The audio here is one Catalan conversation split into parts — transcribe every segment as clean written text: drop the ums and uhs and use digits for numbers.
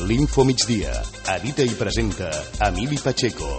L'Info Migdia. Edita i presenta Emili Pacheco.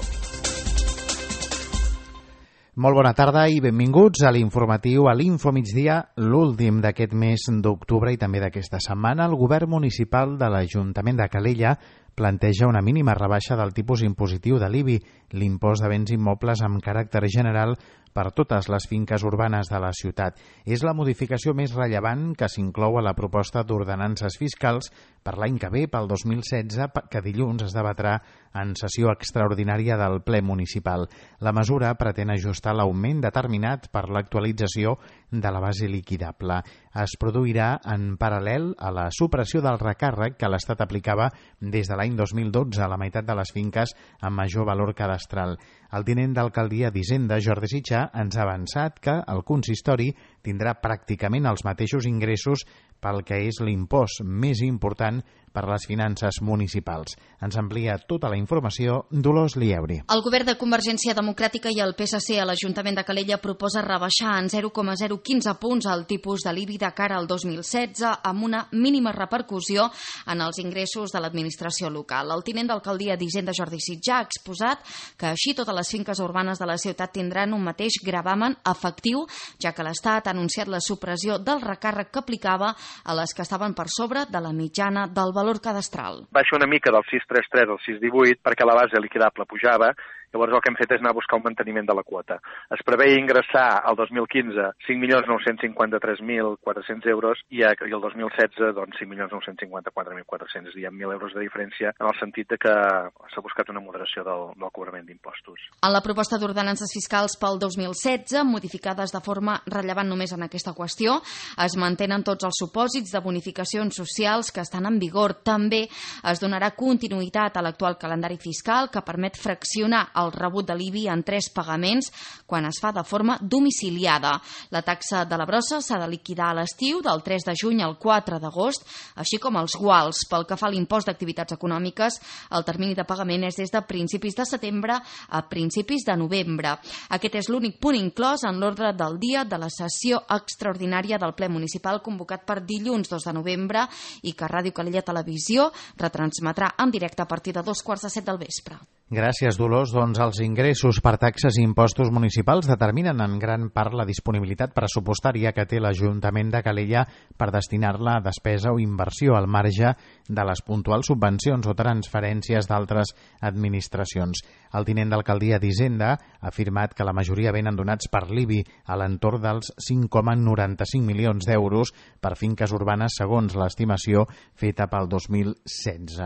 Molt bona tarda i benvinguts a l'informatiu a l'Info Migdia, l'últim d'aquest mes d'octubre i també d'aquesta setmana. El govern municipal de l'Ajuntament de Calella planteja una mínima rebaixa del tipus impositiu de l'IBI, l'impost de béns immobles amb caràcter general per totes les finques urbanes de la ciutat. És la modificació més rellevant que s'inclou a la proposta d'ordenances fiscals per l'any que ve, pel 2016, que dilluns es debatrà en sessió extraordinària del ple municipal. La mesura pretén ajustar l'augment determinat per l'actualització de la base liquidable. Es produirà en paral·lel a la supressió del recàrrec que l'Estat aplicava des de l'any 2012 a la meitat de les finques amb major valor cadastral. El tinent d'alcaldia d'Hisenda, Jordi Sitjà, ens ha avançat que el consistori tindrà pràcticament els mateixos ingressos pel que és l'impost més important per a les finances municipals. Ens amplia tota la informació Dolors Lieuri. El govern de Convergència Democràtica i el PSC a l'Ajuntament de Calella proposa rebaixar en 0,015 punts el tipus de l'IBI de cara al 2016 amb una mínima repercussió en els ingressos de l'administració local. El tinent d'alcaldia d'Hisenda, Jordi Sitjà, ha exposat que així totes les finques urbanes de la ciutat tindran un mateix gravamen efectiu, ja que l'Estat ha anunciat la supressió del recàrrec que aplicava a les que estaven per sobre de la mitjana del valor cadastral. Baixa una mica del 633 al 618 perquè la base liquidable pujava. Llavors el que hem fet és anar a buscar un manteniment de la quota. Es preveia ingressar al 2015 5.953.400 euros i el 2016 doncs 5.954.400, és a dir, 1.000 euros de diferència en el sentit de que s'ha buscat una moderació del cobrament d'impostos. En la proposta d'ordenances fiscals pel 2016, modificades de forma rellevant només en aquesta qüestió, es mantenen tots els supòsits de bonificacions socials que estan en vigor. També es donarà continuïtat a l'actual calendari fiscal que permet fraccionar el rebut de l'IBI en 3 pagaments quan es fa de forma domiciliada. La taxa de la brossa s'ha de liquidar a l'estiu del 3 de juny al 4 d'agost, així com els guals. Pel que fa a l'impost d'activitats econòmiques, el termini de pagament és des de principis de setembre a principis de novembre. Aquest és l'únic punt inclòs en l'ordre del dia de la sessió extraordinària del ple municipal convocat per dilluns 2 de novembre i que Ràdio Calella Televisió retransmetrà en directe a partir de 2:45 del vespre. Gràcies, Dolors. Doncs els ingressos per taxes i impostos municipals determinen en gran part la disponibilitat pressupostària que té l'Ajuntament de Calella per destinar-la a despesa o inversió al marge de les puntuals subvencions o transferències d'altres administracions. El tinent d'alcaldia d'Hisenda ha afirmat que la majoria venen donats per l'IBI a l'entorn dels 5,95 milions d'euros per finques urbanes segons l'estimació feta pel 2016.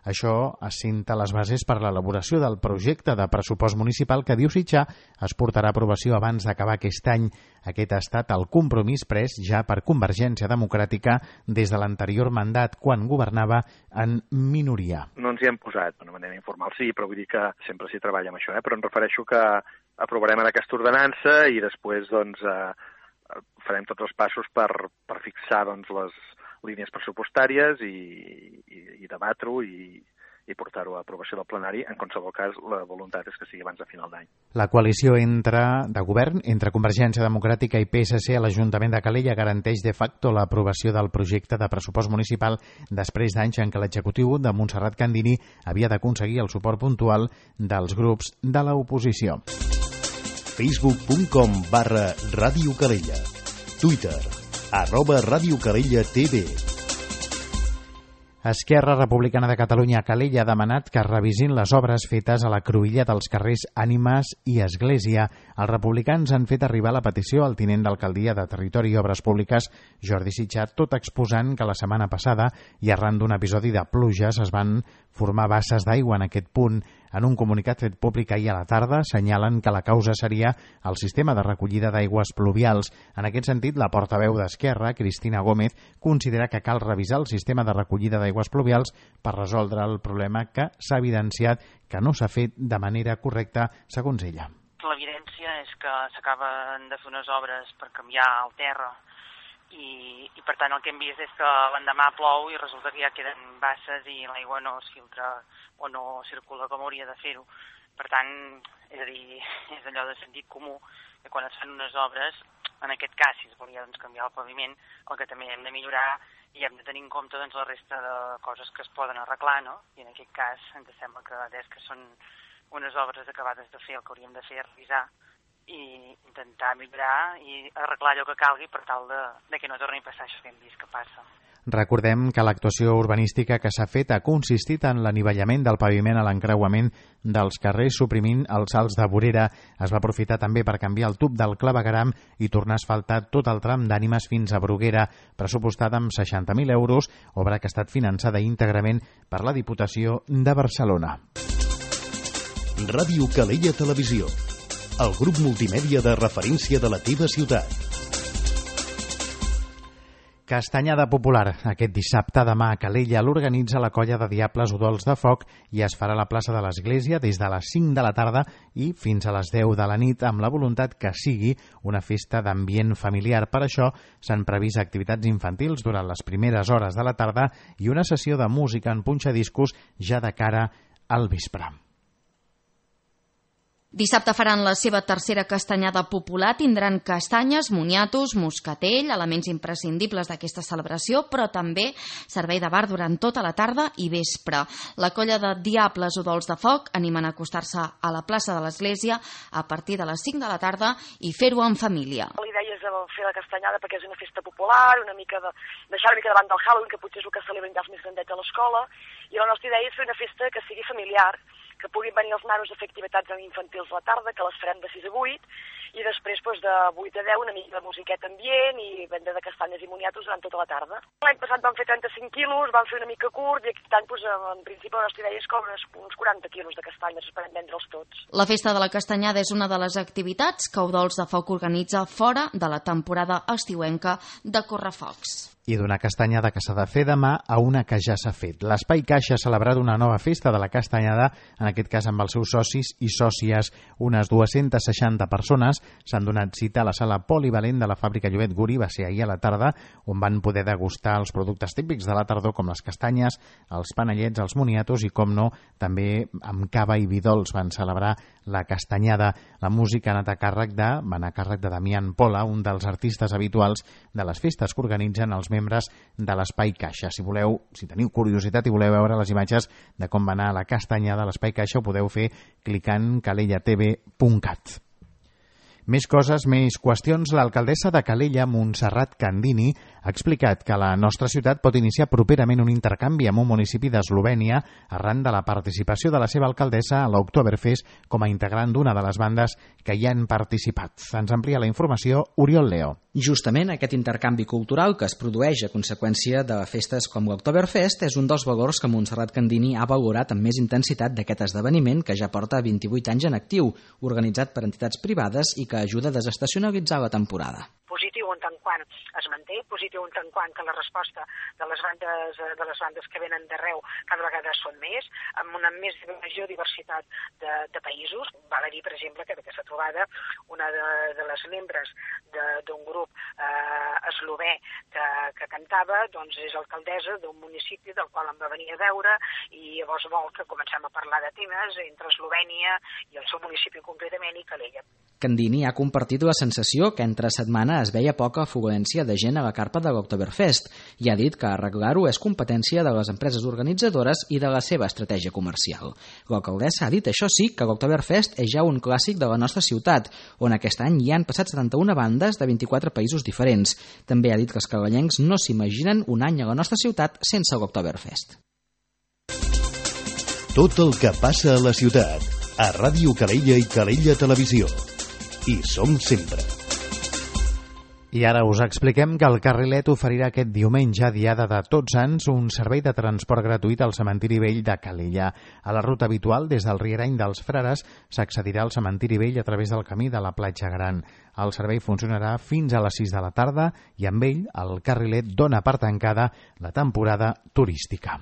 Això assenta les bases per l'elaboració del projecte de pressupost municipal que, diu Sitjà, es portarà a aprovació abans d'acabar aquest any. Aquest ha estat el compromís pres ja per Convergència Democràtica des de l'anterior mandat, quan governava en minoria. No ens hi hem posat d'una manera informal, sí, però vull dir que sempre s'hi treballa amb això, però em refereixo que aprovarem en aquesta ordenança i després doncs, farem tots els passos per fixar doncs, les línies pressupostàries i debatre-ho i portar-ho a aprovació del plenari. En qualsevol cas, la voluntat és que sigui abans de final d'any. La coalició de govern entre Convergència Democràtica i PSC a l'Ajuntament de Calella garanteix de facto l'aprovació del projecte de pressupost municipal després d'anys en què l'executiu de Montserrat Candini havia d'aconseguir el suport puntual dels grups de l'oposició. Facebook.com/Ràdio Calella. Twitter @Ràdio Calella TV. Esquerra Republicana de Catalunya a Calella ha demanat que es revisin les obres fetes a la cruïlla dels carrers Ànimes i Església. Els republicans han fet arribar la petició al tinent d'alcaldia de Territori i Obres Públiques, Jordi Sitjà, tot exposant que la setmana passada i arran d'un episodi de pluges es van formar basses d'aigua en aquest punt. En un comunicat fet públic ahir a la tarda assenyalen que la causa seria el sistema de recollida d'aigües pluvials. En aquest sentit, la portaveu d'Esquerra, Cristina Gómez, considera que cal revisar el sistema de recollida d'aigües pluvials per resoldre el problema que s'ha evidenciat que no s'ha fet de manera correcta, segons ella. L'evidència és que s'acaben de fer unes obres per canviar el terra i per tant el que hem vist és que l'endemà plou i resulta que ja queden basses i l'aigua no es filtra o no circula com hauria de fer-ho. Per tant, és a dir, és allò de sentit comú que quan es fan unes obres, en aquest cas, si es volia canviar el paviment, el que també hem de millorar i hem de tenir en compte doncs, la resta de coses que es poden arreglar, no? I en aquest cas ens sembla que des que són unes obres acabades de fer, el que hauríem de fer és revisar i intentar millorar i arreglar allò que calgui per tal de que no torni a passar això que hem vist que passa. Recordem que l'actuació urbanística que s'ha fet ha consistit en l'anivellament del paviment a l'encreuament dels carrers, suprimint els salts de vorera. Es va aprofitar també per canviar el tub del clavegueram i tornar a asfaltar tot el tram d'Ànimes fins a Bruguera, pressupostada amb 60.000 euros, obra que ha estat finançada íntegrament per la Diputació de Barcelona. Ràdio Calella Televisió, el grup multimèdia de referència de la teva ciutat. Castanyada popular. Aquest dissabte demà a Calella l'organitza la colla de Diables Udols de Foc i es farà a la plaça de l'Església des de les 5 de la tarda i fins a les 10 de la nit, amb la voluntat que sigui una festa d'ambient familiar. Per això s'han previst activitats infantils durant les primeres hores de la tarda i una sessió de música en punxadiscos ja de cara al vespre. Dissabte faran la seva tercera castanyada popular, tindran castanyes, moniatos, moscatell, elements imprescindibles d'aquesta celebració, però també servei de bar durant tota la tarda i vespre. La colla de Diables Udols de Foc animen a acostar-se a la plaça de l'Església a partir de les 5 de la tarda i fer-ho en família. La idea és fer la castanyada perquè és una festa popular, deixar una mica davant del Halloween, que potser és el que celebren ja els més grandets a l'escola, i la nostra idea és fer una festa que sigui familiar, que puguin venir els nanos a fer activitats infantils a la tarda, que les farem de 6 a 8, i després de 8 a 10 una mica de musiqueta ambient i venda de castanyes i moniatos durant tota la tarda. L'any passat vam fer 35 quilos, vam fer una mica curt, i aquest any, en principi, la nostra idea és que uns 40 quilos de castanyes, esperem vendre'ls tots. La festa de la castanyada és una de les activitats que Udols de Foc organitza fora de la temporada estiuenca de Correfocs. I d'una castanyada que s'ha de fer demà a una que ja s'ha fet. L'Espai Caixa ha celebrat una nova festa de la castanyada, en aquest cas amb els seus socis i sòcies. Unes 260 persones s'han donat cita a la sala polivalent de la fàbrica Llobet Guri, va ser ahir a la tarda, on van poder degustar els productes típics de la tardor com les castanyes, els panellets, els moniatos i, com no, també amb cava i vi dolç van celebrar la castanyada. La música va anar a càrrec de Damián Pola, un dels artistes habituals de les festes que organitzen els membres de l'Espai Caixa. Si teniu curiositat i voleu veure les imatges de com va anar la castanyada a l'Espai Caixa, ho podeu fer clicant calellatv.cat. Més coses, més qüestions. L'alcaldessa de Calella, Montserrat Candini, ha explicat que la nostra ciutat pot iniciar properament un intercanvi amb un municipi d'Eslovènia arran de la participació de la seva alcaldessa a l'Oktoberfest com a integrant d'una de les bandes que hi han participat. Ens amplia la informació Oriol Leo. Justament aquest intercanvi cultural que es produeix a conseqüència de festes com l'Oktoberfest és un dels valors que Montserrat Candini ha valorat amb més intensitat d'aquest esdeveniment que ja porta 28 anys en actiu, organitzat per entitats privades i que ajuda a desestacionalitzar la temporada. Positiu en tant quant es manté, positiu en tant quant que la resposta de les bandes que venen d'arreu cada vegada són més, amb una més major diversitat de països. Val a dir, per exemple, que d'aquesta trobada una de les membres d'un grup eslové que cantava doncs és alcaldessa d'un municipi del qual em va venir a veure i llavors vol que comencem a parlar de temes entre Eslovènia i el seu municipi concretament i Calella. Candini ha compartit la sensació que entre setmana es veia poca afluència de gent a la carpa de l'Oktoberfest i ha dit que arreglar-ho és competència de les empreses organitzadores i de la seva estratègia comercial. L'alcaldessa ha dit, això sí, que l'Oktoberfest és ja un clàssic de la nostra ciutat, on aquest any hi han passat 71 bandes de 24 països diferents. També ha dit que els calellencs no s'imaginen un any a la nostra ciutat sense l'Oktoberfest. Tot el que passa a la ciutat, a Ràdio Calella i Calella Televisió. Hi som sempre. I ara us expliquem que el Carrilet oferirà aquest diumenge, diada de Tots Sants, un servei de transport gratuït al cementiri vell de Calella. A la ruta habitual, des del Rierany dels Frares, s'accedirà al cementiri vell a través del camí de la Platja Gran. El servei funcionarà fins a les 6 de la tarda i amb ell el Carrilet dona per tancada la temporada turística.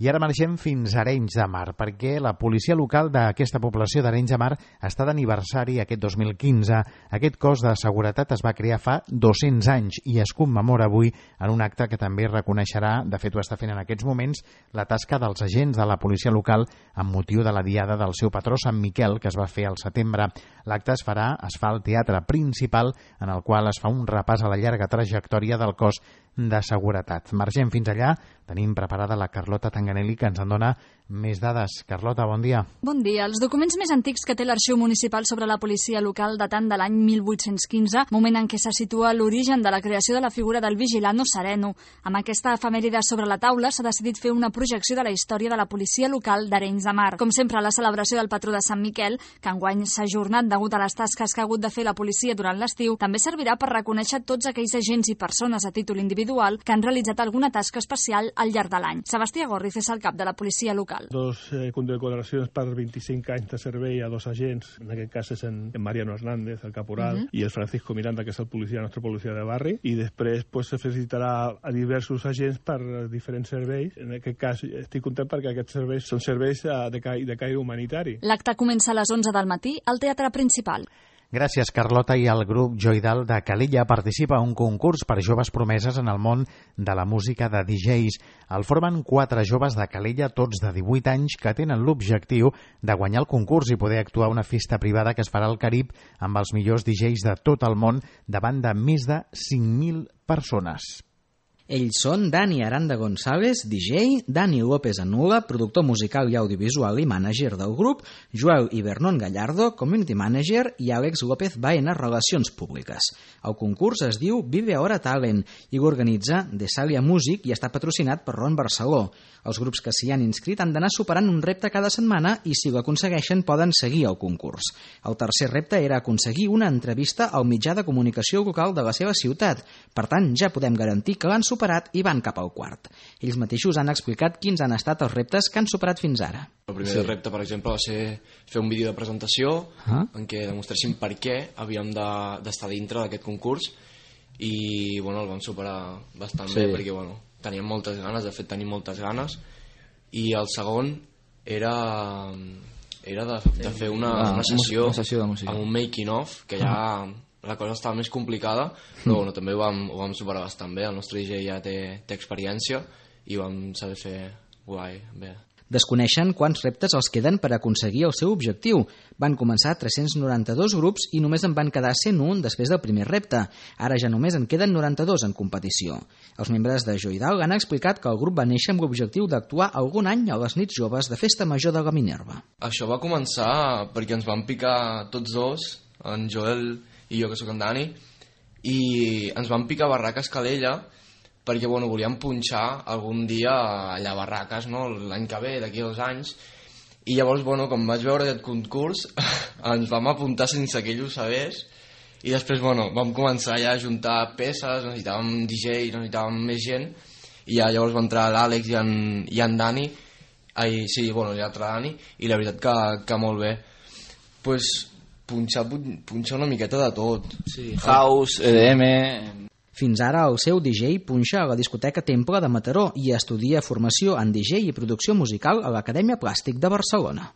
I ara marxem fins a Arenys de Mar, perquè la policia local d'aquesta població d'Arenys de Mar està d'aniversari aquest 2015. Aquest cos de seguretat es va crear fa 200 anys i es commemora avui en un acte que també reconeixerà, de fet ho està fent en aquests moments, la tasca dels agents de la policia local amb motiu de la diada del seu patró Sant Miquel, que es va fer al setembre. L'acte es fa al Teatre Principal, en el qual es fa un repàs a la llarga trajectòria del cos de seguretat. Margem fins allà, tenim preparada la Carlota Tanganelli, que ens en dona més dades. Carlota, bon dia. Bon dia. Els documents més antics que té l'Arxiu Municipal sobre la policia local datant de l'any 1815, moment en què se situa l'origen de la creació de la figura del vigilant o sereno. Amb aquesta efemèride sobre la taula s'ha decidit fer una projecció de la història de la policia local d'Arenys de Mar. Com sempre, la celebració del patró de Sant Miquel, que enguany s'ha ajornat degut a les tasques que ha hagut de fer la policia durant l'estiu, també servirà per reconèixer tots aquells agents i persones a títol individual que han realitzat alguna tasca especial al llarg de l'any. Sebastià Gorriz és el cap de la policia local. Dos condecoracions per 25 anys de servei a dos agents, en aquest cas és en Mariano Hernández, el caporal, i el Francisco Miranda, que és el nostre policia de barri, i després se felicitarà a diversos agents per diferents serveis. En aquest cas estic content perquè aquests serveis són serveis de caire humanitari. L'acte comença a les 11 del matí al Teatre Principal. Gràcies, Carlota. I el grup Joidal de Calella participa en un concurs per joves promeses en el món de la música de DJs. El formen 4 joves de Calella, tots de 18 anys, que tenen l'objectiu de guanyar el concurs i poder actuar a una festa privada que es farà al Carib amb els millors DJs de tot el món davant de més de 5.000 persones. Ells són Dani Aranda González, DJ, Dani López Anula, productor musical i audiovisual i mànager del grup, Joel i Vernon Gallardo, community manager, i Àlex López Baena, relacions públiques. El concurs es diu Vive Ahora Talent i l'organitza Desalia Music i està patrocinat per Ron Barceló. Els grups que s'hi han inscrit han d'anar superant un repte cada setmana i, si l'aconsegueixen, poden seguir el concurs. El tercer repte era aconseguir una entrevista al mitjà de comunicació local de la seva ciutat. Per tant, ja podem garantir que l'han superat i van cap al quart. Ells mateixos han explicat quins han estat els reptes que han superat fins ara. El primer repte, per exemple, va ser fer un vídeo de presentació en què demostréssim per què havíem d'estar dintre d'aquest concurs i el vam superar bastant bé perquè teníem moltes ganes, de fet tenim moltes ganes, i el segon era de fer una sessió de música amb un making of, que ja la cosa estava més complicada, però també ho vam superar bastant bé. El nostre DJ ja té experiència i ho vam saber fer guai, bé. Desconeixen quants reptes els queden per aconseguir el seu objectiu. Van començar 392 grups i només en van quedar 101 després del primer repte. Ara ja només en queden 92 en competició. Els membres de Joidal han explicat que el grup va néixer amb l'objectiu d'actuar algun any a les nits joves de Festa Major de la Minerva. Això va començar perquè ens van picar tots dos, en Joel i jo, que sóc en Dani, i ens van picar Barraques Calella perquè volíem punxar algun dia allà a Barraques, l'any que ve, d'aquí 2 anys, i llavors, com vaig veure aquest concurs, ens vam apuntar sense que ell ho sabés, i després, vam començar ja a juntar peces, necessitàvem DJ, necessitàvem més gent, i ja llavors va entrar l'Àlex i en Dani, l'altre Dani, i la veritat que molt bé. Punxar una miqueta de tot. Sí, house, EDM... Fins ara el seu DJ punxa a la discoteca Temple de Mataró i estudia formació en DJ i producció musical a l'Acadèmia Plàstic de Barcelona.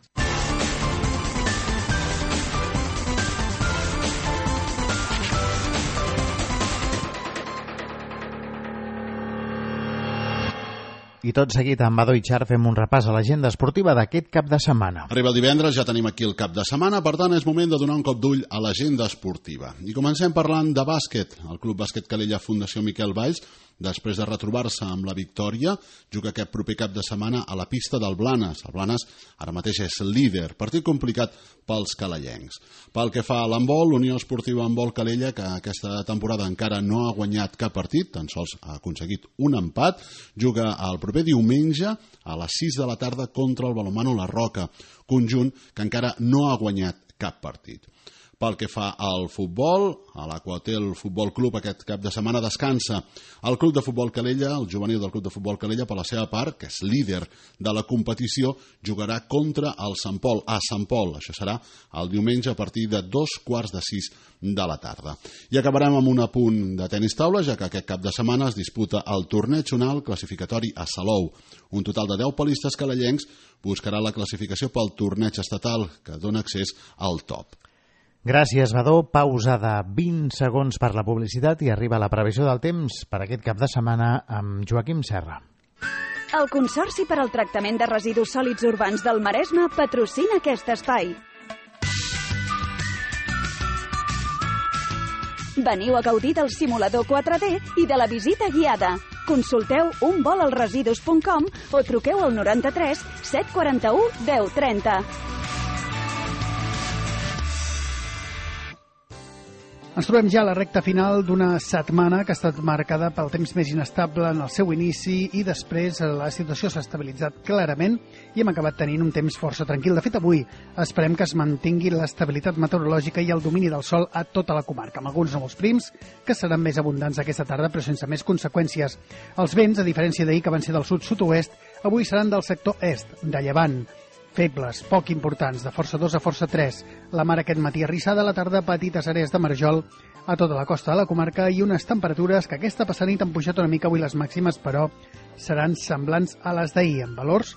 I tot seguit, amb Badó i Char, fem un repàs a l'agenda esportiva d'aquest cap de setmana. Arriba el divendres, ja tenim aquí el cap de setmana, per tant és moment de donar un cop d'ull a l'agenda esportiva. I comencem parlant de bàsquet. El Club Bàsquet Calella Fundació Miquel Valls, després de retrobar-se amb la victòria, juga aquest proper cap de setmana a la pista del Blanes. El Blanes ara mateix és líder, partit complicat pels calellencs. Pel que fa a l'handbol, l'Unió Esportiva Handbol Calella, que aquesta temporada encara no ha guanyat cap partit, tan sols ha aconseguit un empat, juga el proper diumenge a les 6 de la tarda contra el Balonmano La Roca, conjunt que encara no ha guanyat cap partit. Pel que fa al futbol, a l'Aquatel Futbol Club aquest cap de setmana descansa. El Club de Futbol Calella, el juvenil del Club de Futbol Calella, per la seva part, que és líder de la competició, jugarà contra el Sant Pol, a Sant Pol. Això serà el diumenge a partir de 5:45 de la tarda. I acabarem amb un apunt de tenis taula, ja que aquest cap de setmana es disputa el torneig zonal classificatori a Salou. Un total de 10 palistes calellencs buscarà la classificació pel torneig estatal, que dona accés al top. Gràcies, Badó. Pausa de 20 segons per la publicitat i arriba la previsió del temps per aquest cap de setmana amb Joaquim Serra. El Consorci per al Tractament de Residus Sòlids Urbans del Maresme patrocina aquest espai. Veniu a gaudir del simulador 4D i de la visita guiada. Consulteu unvolalresidus.com o truqueu al 93 741 1030. Ens trobem ja a la recta final d'una setmana que ha estat marcada pel temps més inestable en el seu inici i després la situació s'ha estabilitzat clarament i hem acabat tenint un temps força tranquil. De fet, avui esperem que es mantingui l'estabilitat meteorològica i el domini del sol a tota la comarca, amb alguns núvols prims que seran més abundants aquesta tarda però sense més conseqüències. Els vents, a diferència d'ahir que van ser del sud-sud-oest, avui seran del sector est, de llevant. Febles, poc importants, de força 2 a força 3. La mar aquest matí arrissada, a la tarda petites àrees de marjol a tota la costa de la comarca i unes temperatures que aquesta passada nit han pujat una mica. Avui les màximes, però, seran semblants a les d'ahir, amb valors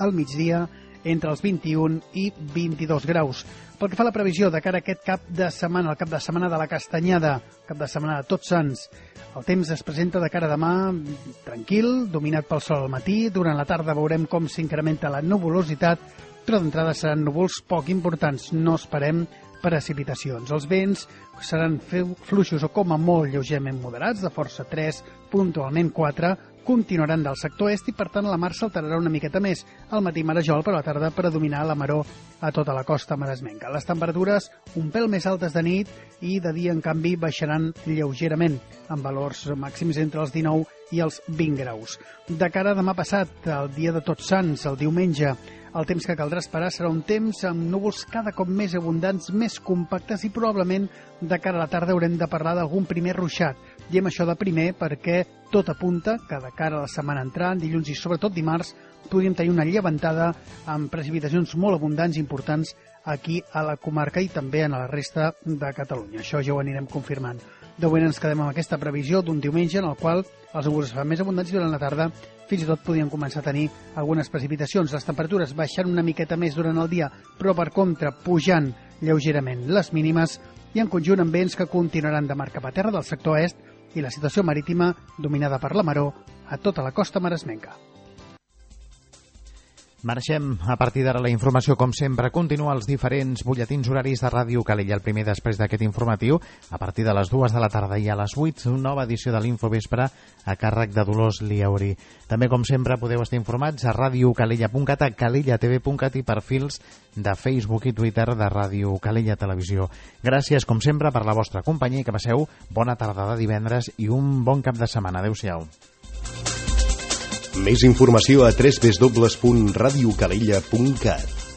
al migdia entre els 21 i 22 graus. Pel que fa a la previsió de cara a aquest cap de setmana, el cap de setmana de la Castanyada, cap de setmana de Tots Sants, el temps es presenta de cara a demà tranquil, dominat pel sol al matí. Durant la tarda veurem com s'incrementa la nuvolositat, però d'entrada seran núvols poc importants. No esperem precipitacions. Els vents seran fluixos o com a molt lleugerament moderats, de força 3, puntualment 4, continuaran del sector est i, per tant, la mar s'alterarà una miqueta més. Al matí marejol, però a la tarda predominar la maror a tota la costa maresmenca. Les temperatures un pèl més altes de nit i de dia, en canvi, baixaran lleugerament, amb valors màxims entre els 19 i els 20 graus. De cara a demà passat, el dia de Tots Sants, el diumenge, el temps que caldrà esperar serà un temps amb núvols cada cop més abundants, més compactes i probablement de cara a la tarda haurem de parlar d'algun primer ruixat. Diem això de primer perquè tot apunta que de cara a la setmana entrant, dilluns i sobretot dimarts, podríem tenir una llevantada amb precipitacions molt abundants i importants aquí a la comarca i també en la resta de Catalunya. Això ja ho anirem confirmant. De moment ens quedem amb aquesta previsió d'un diumenge en el qual els núvols es fan més abundants i durant la tarda fins i tot podien començar a tenir algunes precipitacions. Les temperatures baixant una miqueta més durant el dia, però per contra pujant lleugerament les mínimes i en conjunt amb vents que continuaran de mar cap a terra del sector est i la situació marítima dominada per la maror a tota la costa maresmenca. Marxem a partir d'ara la informació, com sempre, continua els diferents butlletins horaris de Ràdio Calella. El primer després d'aquest informatiu, a partir de les 2 de la tarda i a les 8, una nova edició de l'Infovespre a càrrec de Dolors Liauri. També, com sempre, podeu estar informats a radiocalella.cat, a calellatv.cat i perfils de Facebook i Twitter de Ràdio Calella Televisió. Gràcies, com sempre, per la vostra companyia i que passeu bona tarda de divendres i un bon cap de setmana. Adéu-siau. Més informació a www.radiocalella.cat.